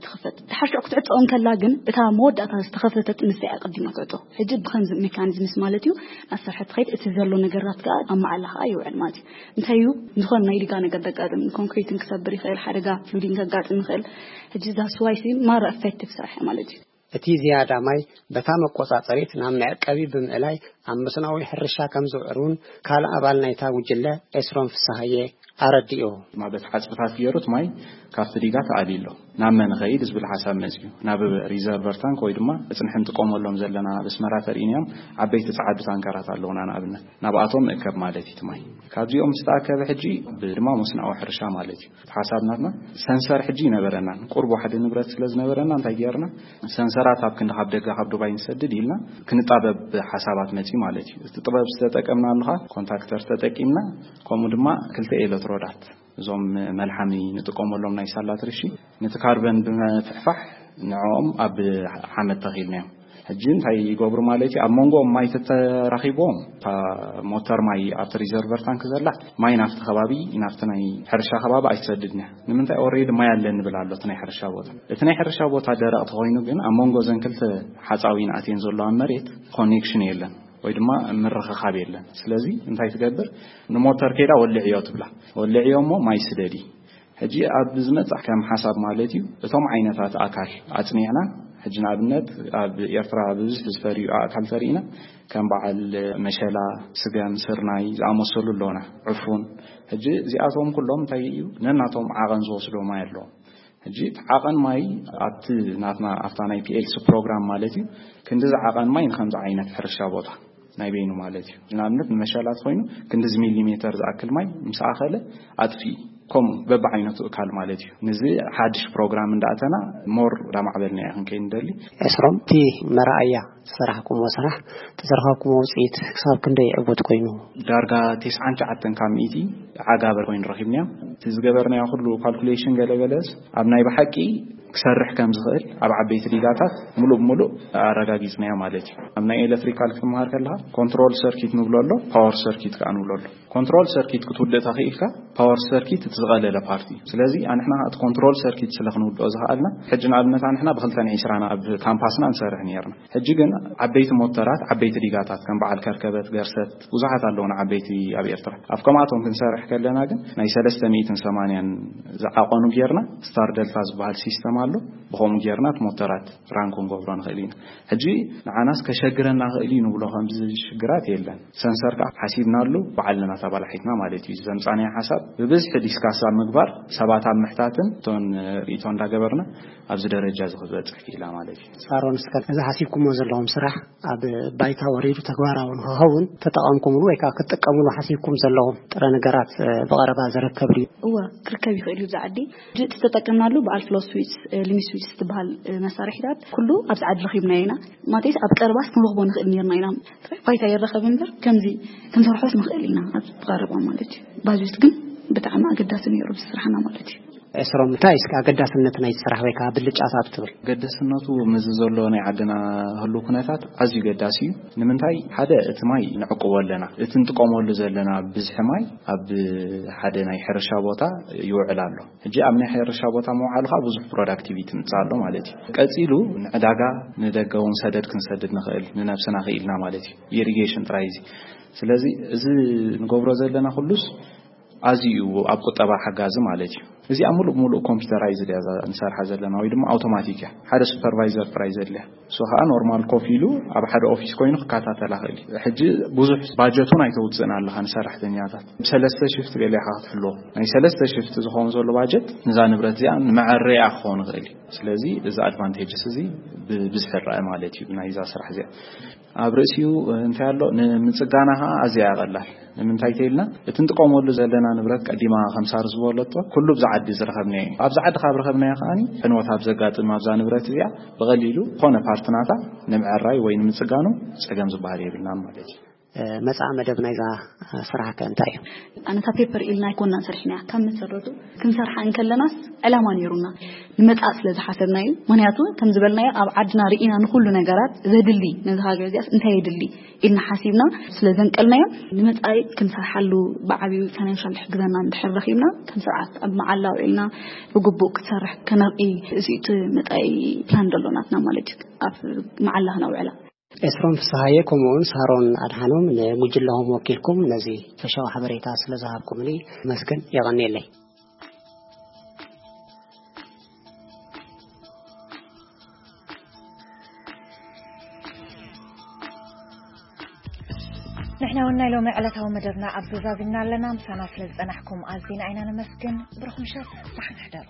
ትኽፈት። ድሓር ሽዑ ክትዕጾ እንከላ ግን፣ እታ መወዳእታ ዝተኸፈተት ንሳ እያ ቀዲማ ትዕጾ። ሕጂ ብኸምዚ ሜካኒዝምስ ማለት እዩ፣ ናብ ስራሕ ትኸይድ፣ እቲ ዘሎ ነገራት ከኣ ኣብ መዓላ ከኣ ይውዕል ማለት እዩ። እንታይ እዩ፣ ዝኾነ ናይ ዲጋ ነገር ዘጋጥም፣ ኮንክሪትን ክሰብር ይኽእል፣ ሓደጋ ፍሉዲንግ ከጋጥም ይኽእል። ሕጂ that's why ሲ ማራ ኤፌክቲቭ ስራሕ እያ ማለት እዩ። እቲ ዝያዳ ማይ በታ መቆጻጸሪት ናብ መዕቀቢ ብምእላይ ኣብ መስኖኣዊ ሕርሻ ከም ዝውዕል እውን ካልእ ኣባል ናይታ ጉጅለ ኤስሮም ፍስሃየ ኣረዲኡ። ድማ በቲ ሓጽብታት ገይሩ እቲ ማይ ካብቲ ዲጋ ተኣልዩ ኣሎ። ናብ መን ኸይድ ዝብል ሓሳብ መፅዩ፣ ናብ ሪዘርቨር ታንክ ወይ ድማ እፅንሒ ንጥቀመሎም ዘለና ኣብ ኣስመራ ተርእይናዮም ዓበይቲ ፃዓዱ ታንከራት ኣለውና። ንኣብነት ናብኣቶም እከብ ማለት እዩ እቲ ማይ። ካብዚኦም ዝተኣከበ ሕጂ ድማ መስናኦ ሕርሻ ማለት እዩ። እቲ ሓሳብ ናትና ሰንሰር ሕጂ ይነበረናን ቁርብ ዋሕዲ ንብረት ስለ ዝነበረና እንታይ ገርና፣ ሰንሰራት ኣብ ክንዲ ካብ ደገ ካብ ዱባይ ንሰድድ ኢልና ክንጣበብ ሓሳባት መፂ ማለት እዩ። እቲ ጥበብ ዝተጠቀምና ኣለኻ፣ ኮንታክተር ተጠቂምና፣ ከምኡ ድማ ክልተ ኤሌትሮዳት፣ እዞም መልሓሚ ንጥቀመሎም ናይ ሳላት ርሺ፣ ነቲ ካርበን ብምፍሕፋሕ ንዕኦም ኣብ ሓመድ ተኺልናዮም። ሕጂ እንታይ ይገብሩ ማለት እዩ? ኣብ መንጎኦም ማይ ተተራኺብዎም፣ እታ ሞተር ማይ ኣብቲ ሪዘርቨር ታንክ ዘላ ማይ ናብቲ ከባቢ፣ ናብቲ ናይ ሕርሻ ከባቢ ኣይትሰድድን እያ። ንምንታይ? ኦሬዲ ማይ ኣለኒ ንብል ኣሎ እቲ ናይ ሕርሻ ቦታ። እቲ ናይ ሕርሻ ቦታ ደረቕ ተኾይኑ ግን ኣብ መንጎ ዘን ክልተ ሓፃዊን ኣትየን ዘለዋ መሬት ኮኔክሽን የለን ወይ ድማ ምርኽኻብ የለን። ስለዚ እንታይ ትገብር? ንሞተር ከይዳ ወልዕዮ ትብላ። ወልዕዮ እሞ ማይ ስደዲ። ሕጂ ኣብ ዝመጽእ ከም ሓሳብ ማለት እዩ፣ እቶም ዓይነታት ኣካል ኣጽኒዕና፣ ሕጂ ንኣብነት ኣብ ኤርትራ ብብዝሒ ዝፈርዩ ኣእካል ተርኢና፣ ከም በዓል መሸላ፣ ስገም፣ ስርናይ ዝኣመሰሉ ኣለውና፣ ዕፉን። ሕጂ እዚኣቶም ኩሎም እንታይ እዩ? ነናቶም ዓቐን ዝወስዶ ማይ ኣለዎም። ሕጂ እቲ ዓቐን ማይ ኣብቲ ናትና፣ ኣብታ ናይ ፒኤልሲ ፕሮግራም ማለት እዩ፣ ክንዲዚ ዓቐን ማይ ንከምዚ ዓይነት ሕርሻ ቦታ ናይ በይኑ ማለት እዩ። ንኣብነት ንመሸላት ኮይኑ ክንዲዚ ሚሊሜተር ዝኣክል ማይ ምስ ኣኸለ ኣጥፊ፣ ከምኡ በብዓይነቱ እካል ማለት እዩ። ንዚ ሓድሽ ፕሮግራም እንዳኣተና ሞር እንዳማዕበልና ኢና ክንከይድ ንደሊ። ኤስሮም፣ እቲ መረኣያ ዝሰራሕኩምዎ ስራሕ፣ እቲ ዝረኸብኩምዎ ውፅኢት ክሳብ ክንደይ ዕውት ኮይኑ? ዳርጋ ተስዓን ትሽዓተን ካብ ሚእቲ ዓጋበር ኮይኑ ረኺብናዮ። እቲ ዝገበርናዮ ኩሉ ካልኩሌሽን ገለገለስ ኣብ ናይ ብሓቂ ክሰርሕ ከም ዝኽእል ኣብ ዓበይቲ ዲጋታት ምሉእ ብምሉእ ኣረጋጊጽናዮ ማለት እዩ። ኣብ ናይ ኤሌክትሪካል ክትመሃር ከለኻ ኮንትሮል ሰርኪት ንብሎ ኣሎ፣ ፓወር ሰርኪት ከኣ ንብሎ ኣሎ። ኮንትሮል ሰርኪት ክትውድእ ተኽኢልካ፣ ፓወር ሰርኪት እቲ ዝቐለለ ፓርቲ እዩ። ስለዚ ኣንሕና እቲ ኮንትሮል ሰርኪት ስለ ክንውድኦ ዝኸኣልና፣ ሕጂ ንኣብነት ኣንሕና ብክልተን ዒስራን ኣብ ካምፓስና ንሰርሕ ነይርና። ሕጂ ግን ዓበይቲ ሞተራት፣ ዓበይቲ ዲጋታት ከም በዓል ከርከበት፣ ገርሰት፣ ብዙሓት ኣለውና ዓበይቲ ኣብ ኤርትራ። ኣብ ከምኣቶም ክንሰርሕ ከለና ግን ናይ ሰለስተ ሚእትን ሰማንያን ዝዓቐኑ ጌርና፣ ስታር ደልታ ዝበሃል ሲስተም ኣሎ። ብኸምኡ ጌርና እቲ ሞተራት ራን ክንገብሮ ንኽእል ኢና። ሕጂ ንዓናስ ከሸግረና ኽእል እዩ ንብሎ ከምዚ ሽግራት የለን። ሰንሰር ከኣ ሓሲብናሉ ባዕልና ተባላሒትና ማለት እዩ። ዘምጻናዮ ሓሳብ ብብዝሒ ዲስካስ ኣብ ምግባር፣ ሰባት ኣብ ምሕታትን እቶን ርእይቶ እንዳገበርና ኣብዚ ደረጃ እዚ ክበጽሕ ክኢላ ማለት እዩ። ሳሮን፣ እስከ እዚ ሓሲብኩሞ ዘለኹም ስራሕ ኣብ ባይታ ወሪዱ ተግባራዊ ንክኸውን ተጠቐምኩምሉ ወይ ከዓ ክትጥቀምሉ ሓሲብኩም ዘለኹም ጥረ ነገራት፣ እ፣ ብቐረባ ዝርከብ ድዩ? እወ፣ ክርከብ ይኽእል እዩ። ኣብዚ ዓዲ እቲ ዝተጠቀምናሉ በዓል ፍሎ ስዊች፣ እ፣ ሊሚ ስዊች ዝበሃል፣ እ፣ መሳርሒታት ኩሉ ኣብዚ ዓዲ ረኺብናዮ ኢና። ማለትስ ኣብ ቀረባስ ክንረኽቦ ንኽእል ነርና ኢና። ጥራይ ባይታ ይረኸብ እምበር ከምዚ ክንሰርሖስ ንኽእል ኢና ኣብ ቀረባ ማለት እዩ። ባጀት ግን ብጣዕሚ ኣገዳሲ ነይሩ ብስራሕና ማለት እዩ። ኤስሮም፣ እንታይ እስከ ኣገዳስነት ናይቲ ስራሕ ወይ ከዓ ብልጫታቱ ትብል? ገደስነቱ ምስዚ ዘሎ ናይ ዓድና ህሉ ኩነታት ኣዝዩ ገዳሲ እዩ። ንምንታይ? ሓደ፣ እቲ ማይ ንዕቅቦ ኣለና። እቲ ንጥቀመሉ ዘለና ብዝሒ ማይ ኣብ ሓደ ናይ ሕርሻ ቦታ ይውዕል ኣሎ። ሕጂ ኣብ ናይ ሕርሻ ቦታ ምውዓሉ ከዓ ብዙሕ ፕሮዳክቲቪቲ ምጻእ ኣሎ ማለት እዩ። ቀጺሉ ንዕዳጋ፣ ንደገ እውን ሰደድ ክንሰድድ ንኽእል፣ ንነብስና ክኢልና ማለት እዩ። ኢሪጌሽን ጥራይ እዚ። ስለዚ እዚ ንገብሮ ዘለና ኩሉስ ኣዝዩ ኣብ ቁጠባ ሓጋዚ ማለት እዩ። እዚኣ ሙሉእ ሙሉእ ኮምፒውተራይዝድ እያ እዛ ንሰርሓ ዘለና ወይ ድማ ኣውቶማቲክ እያ። ሓደ ሱፐርቫይዘር ጥራይ ዘድልያ። እሱ ከዓ ኖርማል ኮፍ ኢሉ ኣብ ሓደ ኦፊስ ኮይኑ ክከታተላ ክእል እዩ። ሕጂ ብዙሕ ባጀት እውን ኣይተውፅእን ኣለኻ ንሰራሕተኛታት። ብሰለስተ ሽፍት ገለ ኢኻ ክትሕልዎ። ናይ ሰለስተ ሽፍት ዝኸውን ዘሎ ባጀት ንዛ ንብረት እዚኣ ንመዐረያ ክኸውን ይኽእል እዩ። ስለዚ እዚ ኣድቫንቴጅስ እዚ ብብዝሒ ይረአ ማለት እዩ ናይዛ ስራሕ እዚኣ። ኣብ ርእሲኡ እንታይ ኣሎ? ንምጽጋና ኸዓ ኣዝያ እያ ቀላል። ንምንታይ ተይልና፣ እቲ ንጥቀመሉ ዘለና ንብረት ቀዲማ ከም ሳር ዝበለቶ፣ ኩሉ ብዛ ዓዲ ዝረኸብናዮ እዩ። ኣብዛ ዓዲ ካብ ረኸብናዮ ከዓኒ ዕንወት ኣብ ዘጋጥም ኣብዛ ንብረት እዚኣ ብቐሊሉ ዝኾነ ፓርት ናታ ንምዕራይ ወይ ንምጽጋኑ ጸገም ዝበሃል የብልናን ማለት እዩ። እ፣ መጻኢ መደብ ናይዛ ስራሕ ከ እንታይ እዩ? ኣነ እታ ፔፐር ኢልና ኣይኮናን ሰሪሕናያ። ካብ መሰረቱ ክንሰርሓ እንከለናስ ዕላማ ነይሩና። ንመጻኢ ስለ ዝሓሰብና እዩ። ምኽንያቱ ከም ዝበልናዮ ኣብ ዓድና ርኢና ንኹሉ ነገራት ዘድሊ ነዚ ሃገር እዚኣስ እንታይ የድሊ ኢልና ሓሲብና ስለ ዘንቀልናዮ ንመጻኢ ክንሰርሓሉ ብዓብዩ ፋይናንሻል ክሕግዘና እንድሕር ረኺብና ከም ስርዓት ኣብ መዓላ ውዒልና ብግቡእ ክትሰርሕ ከነርኢ እዚ እቲ መጻኢ ፕላን ዘሎ ናትና ማለት እዩ። ኣብ መዓላ ክነውዕላ። ኤስሮም ፍስሃየ ከምኡውን ሳሮን ኣድሓኖም ንጉጅለኹም ወኪልኩም ነዚ ፈሻዊ ሓበሬታ ስለ ዝሃብኩምኒ መስገን የቐንየለይ። ንሕና እውን ናይ ሎሚ ዕለታዊ መደብና ኣብዚ ዛዚምና ኣለና። ምሳና ስለ ዝጸናሕኩም ኣዚና ኢና ነመስግን። ብሩኽ ምሸት፣ ደሓን ሕደሩ።